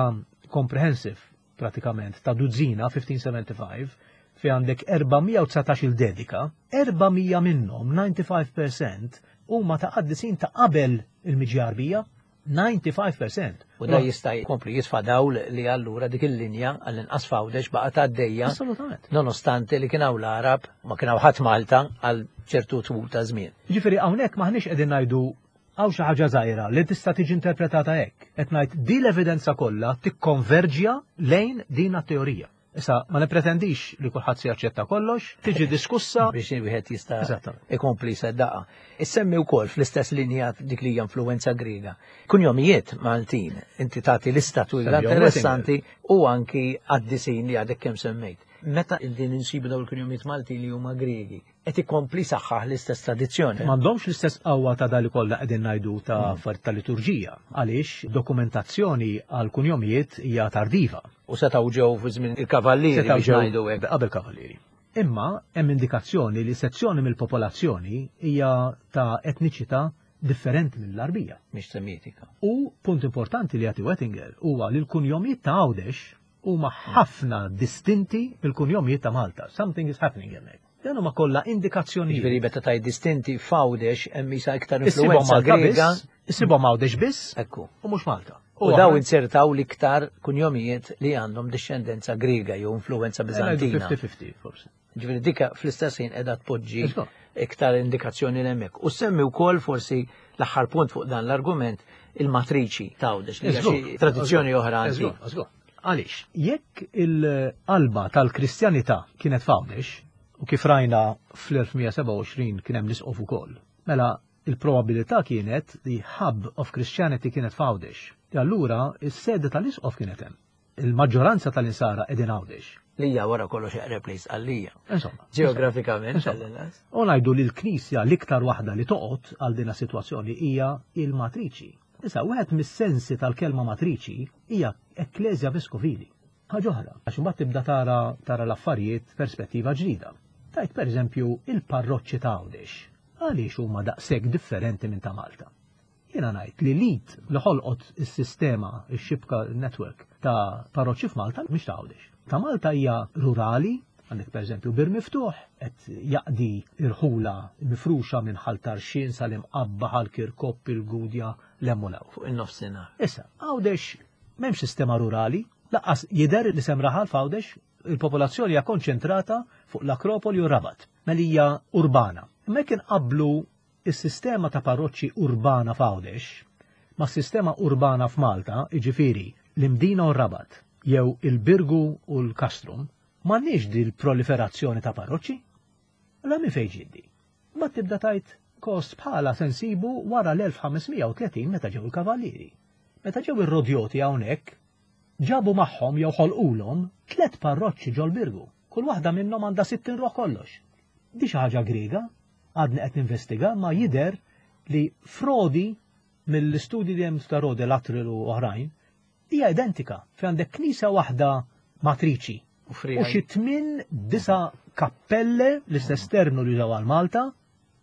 comprehensive pratikament ta' duzzina fifteen seventy-five fi għandek erba' mija u dsatax il-dedika, erba' mija minnhom, disgħa u disgħin fil-mija huma ta' qaddisin ta' qabel il-miġja Għarbija, disgħa u disgħin fil-mija. U da jista' jkompli jitfa' dawl li allura dik il-linja għall-inqas f'Għawdex baqgħet għaddejja Assolutament. nonostante li kien hawn l-Arab ma kien hawn ħadd Malta għal ċertu tul ta' żmien. Ġifieri hawnhekk maħniex qegħdin ngħidu hawn xi ħaġa żgħira li tista' tiġi interpretata hekk. Qed ngħid di l-evidenza kollha tikkonverġja lejn din teorija. Issa ma nipretendix li kulħadd se jaċċetta kollox, tiġi diskussa. Biex wieħed jista' Eżattament. ikompli seddaqa. Issemmi wkoll fl-istess linja dik li hija influenza Griega. Kunjomijiet Maltin, inti tagħti lista twila Semmi interessanti u anki qaddisin li għadek kemm semmejt. Meta din insibu dawn il-kunjomijiet Maltin li huma Griegi, qed ikompli saħħaħ l-istess tradizzjoni. M'għandhomx l-istess qawwa ta' dali kollha qegħdin ngħidu ta' affarijiet ta' liturġija, għaliex dokumentazzjoni għal kunjomijiet hija tardiva. U setgħu ġew fi żmien il-kavallieri Setgħu biex ġew ngħidu hekk. qabel kavallieri. Imma hemm indikazzjoni li sezzjoni mill-popolazzjoni hija ta' etniċità differenti mill-Arbija. Mhix Semitika. U punt importanti li jagħti Wettinger huwa li l-kunjomijiet ta' Għawdex huma ħafna distinti mill-kunjomijiet ta' Malta. Something is happening hemmhekk. Dan huma kollha indikazzjonijiet. Ġifieri meta taj distinti f'Għawdex hemm isa iktar Issibhom influenza Malta Griega. biss, issibhom Għawdex biss Ekku. u mhux Malta. U daw insertaw l-iktar kunjomijiet li għandhom discendenza Griega jew influenza Bizantina. fifty fifty forsi. Ġifieri dika fl-istess ħin qiegħda tpoġġi Eżatt. iktar indikazzjoni l-hemmhekk. U semmi wkoll forsi l-aħħar punt fuq dan l-argument il-matriċi ta' Għawdex li hija xi tradizzjoni oħra Eżgur, antika. eżgur. Għaliex, jekk il-qalba tal-Kristjanità kienet f'Għawdex, U kif rajna fl-elf mija sebgħa u għoxrin kien hemm l-isqof ukoll. Mela il-probabilità kienet li hub of Christianity kienet f'Għawdex. E allura is-sede tal-isqof kienet hemm. Il-maġġoranza tal-insara qegħdin Għawdex. Li hija wara kollox eqreb li Sqallija. Insomma, Ġeografikament, insomma. tal-inqas. U ngħidu li l-Knisja l-iktar waħda li toqgħod għal din is-sitwazzjoni hija il-matriċi. Issa, wieħed mis-sensi tal-kelma matriċi hija ekkleżja veskovili. Ħaġa oħra, għax imbagħad tibda tara, tara l-affarijiet perspettiva ġdida. Tajt pereżempju il-parroċċi ta' Għawdex. Għaliex huma daqshekk differenti minn ta' Malta? Jiena ngħid li l-id li ħolqot is-sistema, ix-xibka network ta' parroċċi f'Malta mhix ta' Għawdex. Ta' Malta hija rurali, għandek pereżempju Bir Miftuħ qed jaqdi irħula mifruxa minn Ħal Tarxien sal-Imqabba, Ħal Kirkop, il-Gudja, l-Emmulaw. Fuq in-nofsinhar. Issa, Għawdex m'hemmx sistema rurali, lanqas jidher li sem raħal f'Għawdex, il-popolazzjoni hija konċentrata fuq l-Akropoli u Rabat, mela hija urbana. Imma jekk inqabblu is-sistema ta' parroċċi urbana f'Għawdex ma' sistema urbana f'Malta, jiġifieri l-Imdina u Rabat, jew il-Birgu u l-Kastrum, m'għandniex din il-proliferazzjoni ta' parroċċi. La minn fejn ġiddi. Ma tibda tajt kost bħala sensibu wara l-elf ħames mija u tletin meta ġew il-kavallieri. Meta ġew ir-rodjoti hawnhekk, ġabu magħhom jew ħolqulhom tliet parroċċi ġol-Birgu. Kull waħda minnhom għandha sittin ruħ kollox. Di xi ħaġa Griega, għadni qed ninvestiga, ma jidher li frodi mill-istudji li hemm ta' Rodi, Lattrell u oħrajn, hija identika. Fi għandek knisja waħda matriċi U frija. u xi tmien disa' kappelle, l-istess terminu li jużaw għal Malta,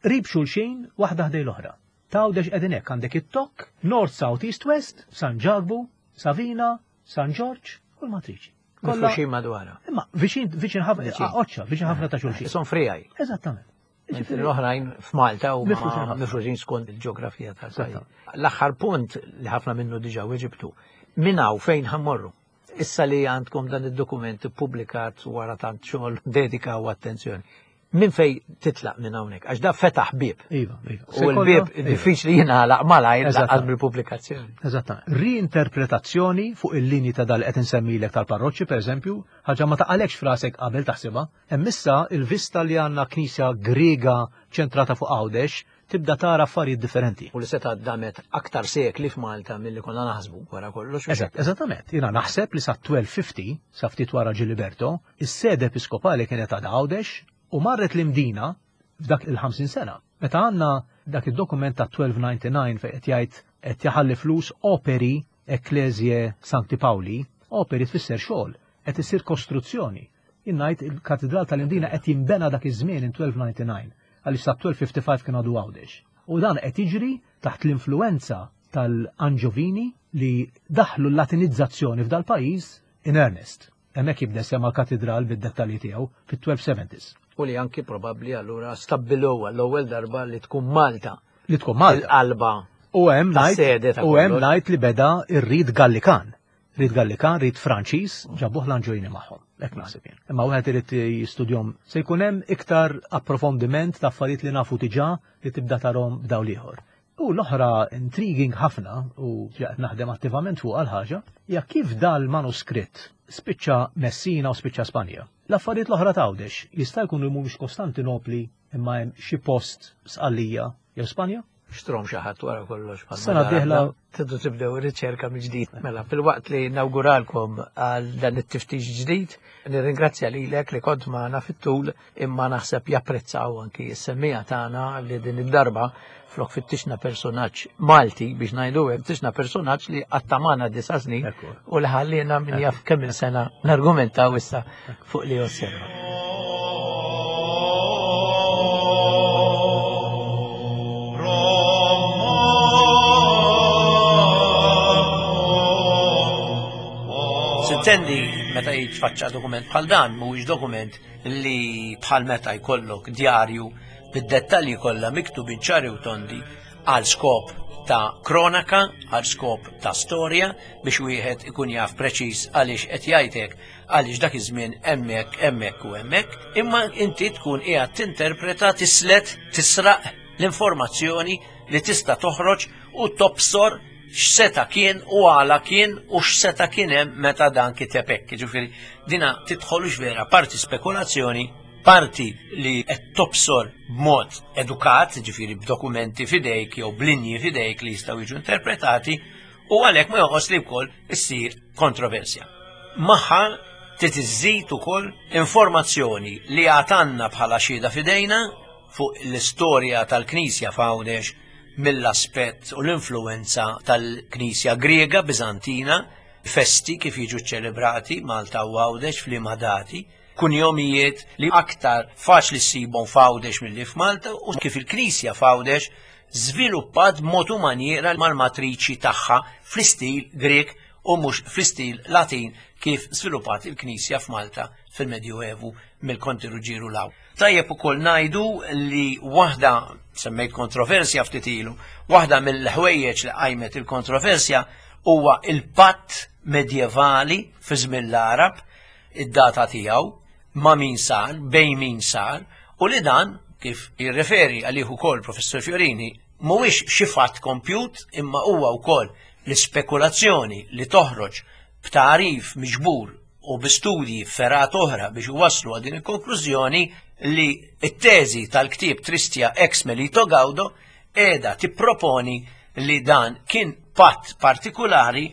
qrib xulxin waħda ħdej l-oħra. Tgħawdex qegħdin hekk, għandek it-Tokk, North, South, East, West, San Ġakbu, Savina, San Ġorġ u l-Matriċi. Kollha Mifruxin madwarha. Imma viċin, viċin ħafna, Viċin. oċċa, viċin ħafna ta' xulxin. Son frijaj. Eżattament. Mentri l-oħrajn f'Malta huma Mifruxin ħafna. mifruxin skont il-ġeografija tal-pajjiż. Eżattament. L-aħħar punt li ħafna minnu diġà weġibtu, minn hawn fejn ħammorru? Issa li għandkom dan id-dokument ippubblikat wara tant xogħol, dedika u attenzjoni. Min fej titlaq minn hawnhekk? Għax da fetaħ bieb. Iva, iva. U l-bieb Iva. diffiċli jingħalaq malajr Eżattament. lanqas bil-pubblikazzjoni. Eżattament. Reinterpretazzjoni fuq il-linji ta' dal qed insemmilek tal-parroċċi, pereżempju, ħaġa ma taqalekx frasek qabel taħsibha. Hemm issa il-vista li għandna knisja Griega ċentrata fuq Għawdex tibda tara affarijiet differenti. U li seta damet aktar sekli f'Malta milli konna naħsbu wara kollox. Eżatt, eżattament. Jiena naħseb li sa twelve fifty, sa ftit wara Giliberto, is-sede episkopali kienet għad Għawdex u marret l-Imdina f'dak il-ħamsin sena. Meta għandna dak id-dokument ta' twelve ninety-nine fejn qed jgħid qed jaħalli flus operi Ecclesiae Sancti Pauli, operi tfisser xogħol, qed isir kostruzzjoni. Jien ngħid il-Katedral tal-Imdina qed jinbena dak iż-żmien in twelve ninety-nine, għaliex sa twelve fifty-five kien għadu Għawdex. U dan qed jiġri taħt l-influenza tal-Anġovini li daħlu l-Latinizzazzjoni f'dal-pajjiż in earnest. Hemmhekk jibda sema l-katedral bid-dettalji tiegħu fit-twelve seventies. U li anki probabbli allura stabbiluha l-ewwel darba li tkun Malta. Li tkun Malta. Il-qalba U hemm ta' ngħid sede ta' u hemm kollox. ngħid li beda ir-rit Gallikan. Rit Gallikan, rit Franċiż, ġabuh l-Anġojini magħhom. Hekk naħseb jien. Imma wieħed irid jistudjom se jkun hemm iktar approfondiment ta' affarijiet li nafu diġà li tibda tarhom b'dawl ieħor. U l-oħra intriguing ħafna u qed naħdem attivament fuq għal-ħaġa hija kif dal-manuskritt spiċċa Messina u spiċċa Spanja. L-affarijiet l-oħra t'Għawdex jista' jkun li mhumiex Kostantinopli imma hemm xi post Sqallija jew Spanja? Xtrom xi ħadd wara kollox bħal Sena ma d-dieħla darba. Tridu tibdew riċerka mill-ġdid. Mela, fil-waqt li nawguralkom għal dan it-tiftix ġdid, nirringrazzja lilek li kont magħna fit-tul, imma naħseb japprezzaw anki s-semmija tagħna li din id-darba flok fittixna personaġġ Malti biex ngħidu hekk, fittixna personaġġ li għatta magħna disa' snin Ekku. u li ħallina min jaf kemm il-sena nargumentaw issa fuq li osserva. Sintendi meta jitfaċċa dokument bħal dan, mhuwiex dokument li bħal meta jkollok djarju bid-dettalji kollha miktubin ċari u tondi għal skop ta' kronaka, għal skop ta' storja, biex wieħed ikun jaf preċiż għaliex qed jgħidlek għaliex dak iż-żmien hemmhekk, hemmhekk u hemmhekk, imma inti tkun qiegħed tinterpreta, tislet, tisraq l-informazzjoni li tista' toħroġ u tobsor x'seta kien u għala kien u x'seta kien hemm meta dan kiteb hekk. Jiġifieri dina tidħolux vera parti spekulazzjoni, Parti li qed tobsor b'mod edukat, ġifieri b'dokumenti f'idejk jew b'linji f'idejk li jistgħu jiġu interpretati, u għalhekk ma jonqos li wkoll issir kontroversja. Magħha trid iżżid ukoll informazzjoni li għatanna bħala xhieda f'idejna fuq l-istorja tal-Knisja f'Għawdex mill-aspett u l-influenza tal-Knisja Griega Biżantina, festi kif jiġu ċelebrati Malta u Għawdex f'liema dati, kunjomijiet li aktar faċli ssibhom f'Għawdex milli f'Malta u kif il-Knisja f'Għawdex żviluppat b'mod u manjiera mal-matriċi tagħha fl-istil Grek u mhux fl-istil Latin kif żviluppat il-Knisja f'Malta fil-Medjuevu mill-Konti Ruġġieru 'l hawn. Tajjeb ukoll ngħidu li waħda, semmejt kontroversja ftit ilu, waħda mill-ħwejjeġ li qajmet il-kontroversja huwa il-patt medjevali fi żmien l-Għarab, id-data tiegħu, ma' min sar, bejn min sar, u li dan, kif jirreferi għalih ukoll Professur Fiorini, mhuwiex xi fatt kompjut imma huwa wkoll l-ispekulazzjoni li toħroġ b'tagħrif miġbur u bi studji fergħat oħra biex iwasslu għal din il-konklużjoni li t-teżi tal-ktieb Tristia ex Melito Gaudo qiegħda tipproponi li dan kien patt partikulari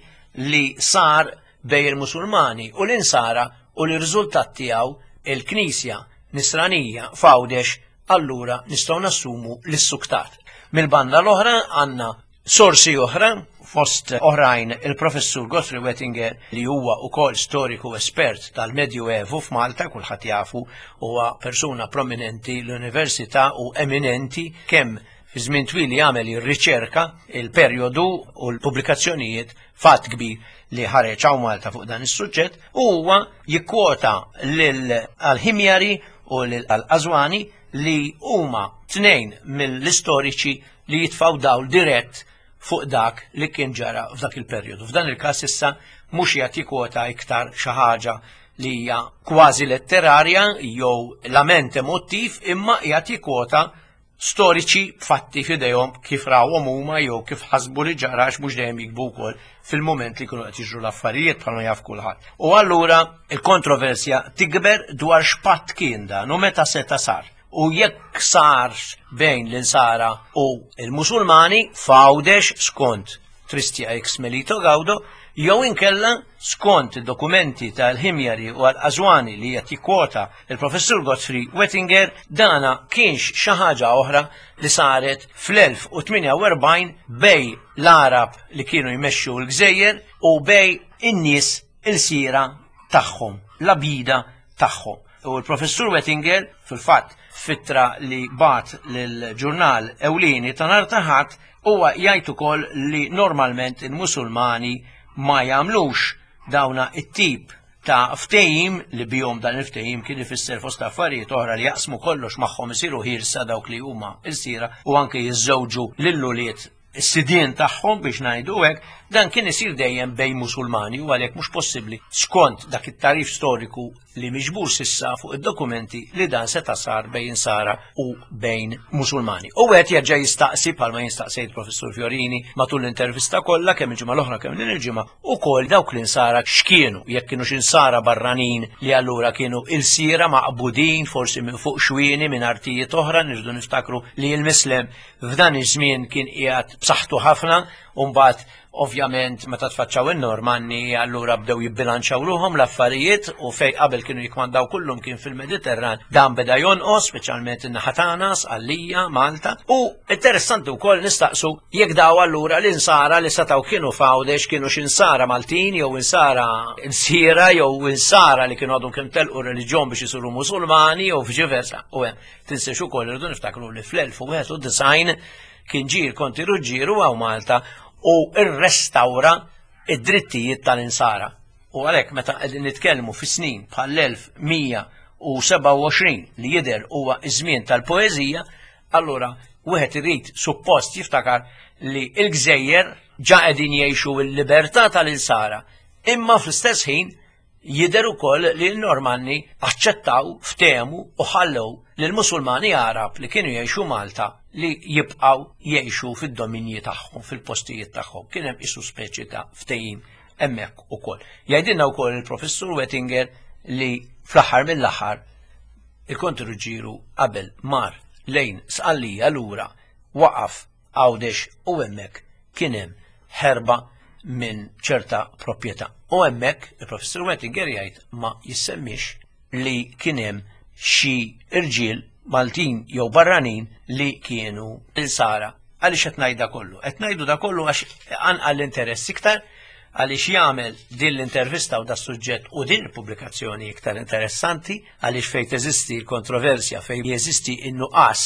li sar bejn il-Musulmani u l-Insara u li r-riżultat tiegħu il-Knisja Nisranija f'Għawdex allura nistgħu nassumu li ssuktat. Mill-banda l-oħra għandna sorsi oħra, fost oħrajn il-Professur Godfrey Wettinger li huwa ukoll storiku espert tal-Medjuevu f'Malta, kulħadd jafu huwa persuna prominenti l-Università u eminenti kemm fi żmien twil li għamel ir-riċerka, il-perjodu u l-pubblikazzjonijiet fatt kbir li ħareġ hawn Malta fuq dan is-suġġett, u huwa jikkwota lil Al-Ħimjari u lil Al-Qazwani li huma tnejn mill-istoriċi li jitfgħu dawl dirett fuq dak li kien ġara f'dak il-perjodu. F'dan il-każ issa mhux qiegħed jikkwota iktar xi ħaġa li hija kważi letterarja jew lament emotiv, imma qiegħed jikkwota storiċi fatti f'idejhom kif rawhom huma jew kif ħasbu li ġara, għax mhux dejjem jikbu wkoll fil-mument li jkunu qed jiġru l-affarijiet bħalma jaf kulħadd. U allura il-kontroversja tikber dwar x'patt kien dan u meta seta' sar. U jekk sarx bejn l-Insara u l-Musulmani f'Għawdex skont Tristia ex Melito Gaudo, jew inkella skont id-dokumenti tal-Ħimjari u Al-Qazwani li qed jikkwota il-Professur Godfrey Wettinger, dana kienx xi ħaġa oħra li saret fl-elf u tmienja u erbgħin bej l-Għarab li kienu jmexxu l-gżejjer u bej in-nies il-sira tagħhom, l-abida tagħhom. U l-Professur Wettinger, fil-fatt, fittra li bat lill-ġurnal ewlieni ta' nhar ta' Ħadd, huwa jgħid ukoll li normalment il-Musulmani ma jagħmlux dawna it-tip ta' ftehim li bihom dan il-ftehim kien ifisser fost affarijiet oħra li jaqsmu kollox magħhom, isiru ħirsa dawk li huma ilsira u anke jiżżewġu lill-ulied is-sidien tagħhom biex ngħidu hekk, dan kien isir dejjem bejn Musulmani u għalhekk mhux possibbli skont dak it-tarif storiku li miġbur sissa fuq id-dokumenti li dan seta' sar bejn Insara u bejn Musulmani. U qed jerġa' jistaqsi bħalma jistaqsejt Professur Fiorini matul l-intervista kollha kemm il-ġimgħa l-oħra kemm din il-ġimgħa ukoll dawk l-Insara x'kienu, jekk kienu x'insara barranin li allura kienu ilsira maqbudin forsi minn fuq xwieni minn artijiet oħra, nirdu niftakru li l-Mislem f'dan iż-żmien kien qiegħed b'saħħtu ħafna u mbagħad ovvjament meta tfaċċaw in-Normanni allura bdew jibbilanċaw ruhom l-affarijiet u fej qabel kienu jikmandaw kullum kien fil-Mediterran dan beda jonqos, speċjalment in-naħa tagħna, Sqallija, Malta. U interessanti wkoll nistaqsu jekk daw allura l-insara li setgħu kienu f'Għawdex kienu x'insara Maltin jew insara insiera jew insara li kienu għadhom kemm telqu reliġjon biex isiru Musulmani jew viċi versa. U hemm tinsiex ukoll irridu niftakru li fl-elf u wieħed u disgħin kien ġie l-Konti Ruġġieru hawn Malta u rrestawra id-drittijiet tal-insara. U għalhekk meta qegħdin nitkellmu fi snin bħall-elf mija u sebgħa u għoxrin li jidher huwa iż-żmien tal-poeżija, allura wieħed irid suppost jiftakar li l-gżejjer ġa qegħdin jgħixu l-libertà tal-insara, imma fl-istess ħin jidher ukoll li l-Normanni aċċettaw, ftehmu u ħallew lill-Musulmani Għarab li kienu jgħixu Malta li jibqgħu jgħixu fid-dominji tagħhom, fil-postijiet tagħhom. Kien hemm isu speċi ta' ftehim hemmhekk ukoll. Jgħidilna wkoll il-Professur Wettinger li fl-aħħar mill-aħħar Il-Konti Ruġġieru qabel mar lejn Sqallija lura waqaf Għawdex u hemmhekk kien hemm ħerba minn ċerta proprjetà. U hemmhekk il-Professur Wettinger jgħid ma jissemmix li kien hemm xi irġiel Maltin jew barranin li kienu insara. Għaliex qed ngħid da kollu? Qed ngħidu da kollu għax anqal l-interess iktar, għaliex jagħmel din l-intervista u da suġġett u din il-pubblikazzjoni iktar interessanti, għaliex fejn teżisti l-kontroversja, fejn jeżisti n-nuqqas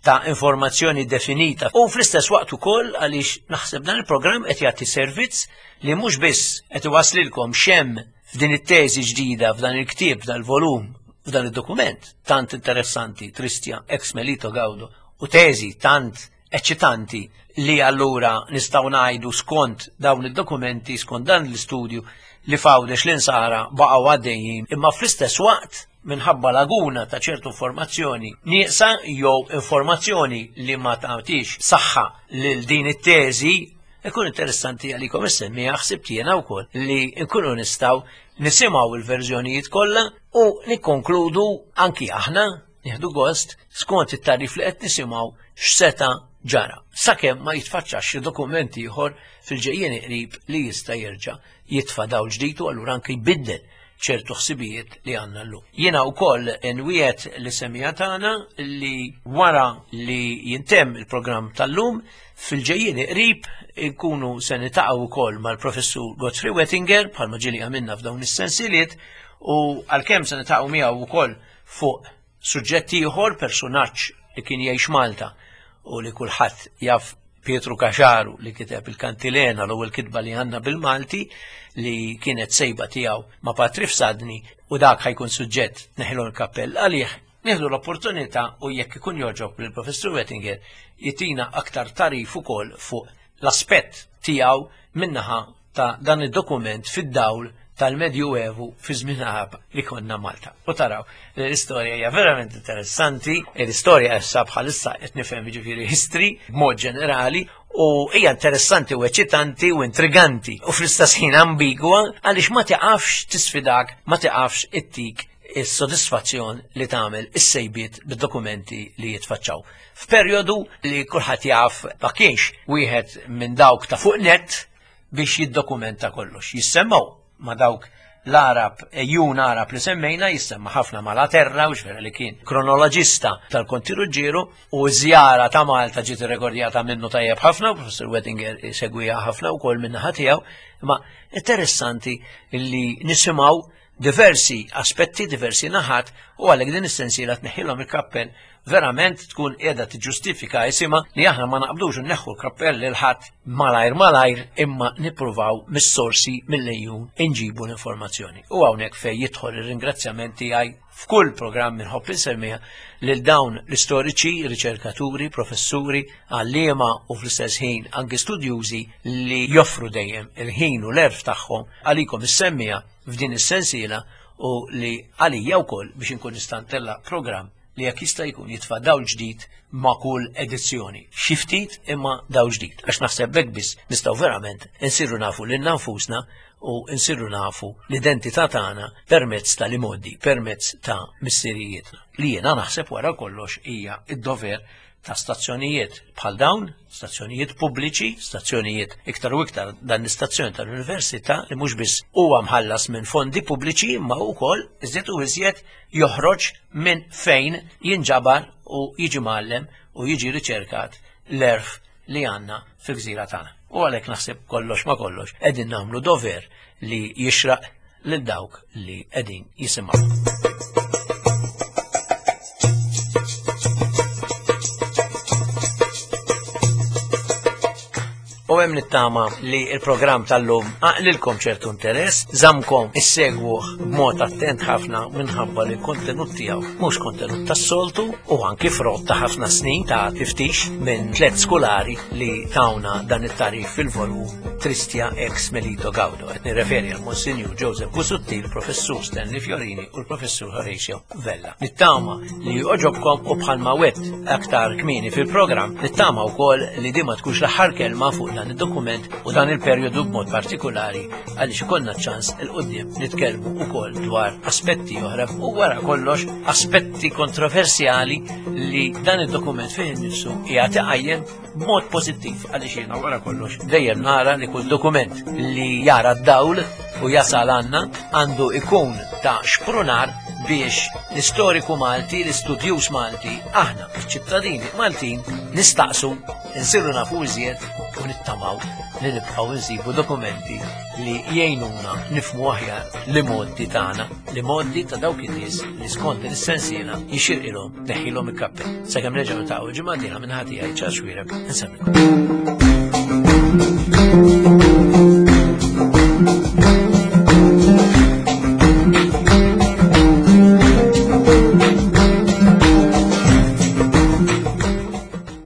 ta' informazzjoni definita. U fl-istess waqt ukoll għaliex naħseb dan il-programm qed jagħti servizz li mhux biss qed iwaslilkom xemm f'din it-teżi ġdida, f'dan il-ktieb, f'dan il-volum, f'dan id-dokument tant interessanti, Tristia ex Melito Gaudo, u teżi tant eċċitanti li allura nistgħu ngħidu skont dawn id-dokumenti, skont dan l-istudju li f'Għawdex l-insara baqgħu għaddejjin, imma fl-istess waqt minħabba laguna ta' ċertu informazzjoni nieqsa jew informazzjoni li ma tagħtix saħħa lil din it-teżi, ikun interessanti għalikom issemmija ħsibt jiena wkoll li nkunu nistgħu nisimgħu il-verżjonijiet kollha u nikkonkludu anki aħna nieħdu gost skont it-tarif li qed nisimgħu x'seta' ġara, sakemm ma jitfaċċax xi dokument ieħor fil-ġejjien qrib li jista' jerġa' jitfa' dawl ġdid u allura anke jbiddel ċertu ħsibijiet li għandna llum. Jiena wkoll nwiegħed li semija tagħna li wara li jintemm il-programm tal-lum fil-ġejjien qrib inkunu se nitaqgħu wkoll mal-Professur Godfrey Wettinger bħalma ġieli għamilna f'dawn is-sensiliet, u għalkemm se nitaqgħu miegħu wkoll fuq suġġett ieħor, personaġġ li kien jgħix Malta u li kulħadd jaf, Pietru Caxaru, li kiteb il-Kantilena, l-ewwel kitba li għandna bil-Malti, li kienet sejba tiegħu ma' Patri Fsadni, u dak ħajkun suġġett neħlu l-kappell għalih. Nieħdu l-opportunità u jekk ikun joġob lill-Professur Wettinger jitina aktar tarif ukoll fuq l-aspett tiegħu minnaħa ta' dan id-dokument fid-dawl tal-Medjuevu fi żmien Arab li konna Malta. U taraw, l-istorja hija verament interessanti, l-istorja issa bħalissa qed nifhem jiġifieri history b'mod ġenerali, u hija interessanti u eċitanti u intriganti u fl-istess ħin ambigwa għaliex ma tiqafx tisfidak, ma tiqafx ittik is-sodisfazzjon li tagħmel is-sejbiet bid-dokumenti li jitfaċċaw. F'perjodu li kulħadd jaf ma kienx wieħed minn dawk ta' fuq net biex jiddokumenta kollox. Jissemmaw ma dawk l-Arab, ejjun Arab li semmejna, jissemma ħafna Malaterra, u xvera li kien kronoloġista tal-Konti Ruġġieru, u żjara ta' Malta ġiet irrekordjata minnu tajjeb ħafna, u Professur Wettinger segwija ħafna wkoll min-naħa tiegħu, imma interessanti li nisimgħu diversi aspetti, diversi naħat, u għalhekk din is-sensiela tneħħilhom il-kappell verament tkun qiegħda tiġġustifika isimha li aħna ma naqbdux nneħħu l-kappell lil ħadd malajr malajr, imma nippruvaw mis-sorsi mill-lejjun inġibu l-informazzjoni. U hawnhekk fejn jidħol ir-ringrazzjament tiegħi f'kull programm inħobb insemmiha lil dawn l-istoriċi, riċerkaturi, professuri, għalliema u fl-istess ħin anke studjużi li joffru dejjem il-ħin u l-erf tagħhom għalikom issemmija f'din is-sensiela u li għalija wkoll biex inkun nista' ntella' programm li jekk jista' jkun jitfa' dawl ġdid ma' kull edizzjoni. Xi ftit imma dawl ġdid, għax naħseb hekk biss nistgħu verament insiru nafu lilna nfusna u nsiru nafu l-identità tagħna permezz tal-imoddi, permezz ta' missirijietna. Li jiena naħseb wara kollox hija d-dover ta' stazzjonijiet bħal dawn, stazzjonijiet pubbliċi, stazzjonijiet iktar u iktar dan l-istazzjon tal-università li mhux biss huwa mħallas minn fondi pubbliċi imma wkoll iżjed u iżjed joħroġ minn fejn jinġabar u jiġi mgħallem u jiġi riċerkat l-erf li għandna fil-gżira tagħna. U għalhekk naħseb kollox ma kollox qegħdin nagħmlu dover li jixraq lil dawk li qegħdin jisimgħu. U hemm nittama li l-programm tal-lum għaqlilkom ċertu interess, żamkom issegwuh b'mod attent ħafna minħabba li l-kontenut tiegħu mhux kontenut tas-soltu u anki frott ta' ħafna snin ta' tiftix minn tliet skolari li tawna dan it-tarif fil-volum Tristia ex Melito Gaudo. Qed nirreferi għal Monsinjur Joseph Busuttil, Professur Stanley Fiorini u l-Professur Horatio Vella. Nittama li oġobkom u bħalma wett aktar kmieni fil-programm, nittama wkoll li di ma tkunx l-aħħar kelma fuq dan dan id-dokument u dan il-perjodu b'mod partikolari, għaliex ikollna ċans 'il quddiem nitkellmu ukoll dwar aspetti oħra u wara kollox aspetti kontroversjali li dan id-dokument fih innifsu qiegħed iqajjem b'mod pożittiv, għaliex jiena wara kollox dejjem nara li kull dokument li jara d-dawl u jasal għandna għandu ikun ta' xprunar biex l-istoriku Malti, l-istudjuż Malti, aħna, ċittadini Maltin, nistaqsu, nsiru nafu iżjed u nittamaw li nibqgħu nsibu dokumenti li jgħinuna nifhmu aħjar l-imgħoddi tagħna, l-imgħoddi ta' dawk in-nies li skont din is-sensiela jixirqilhom tneħħilhom il-kappell. Sakemm nerġgħu niltaqgħu ġimgħa dieħla, minn ħati għaj Charles Xuereb, insellmilkom.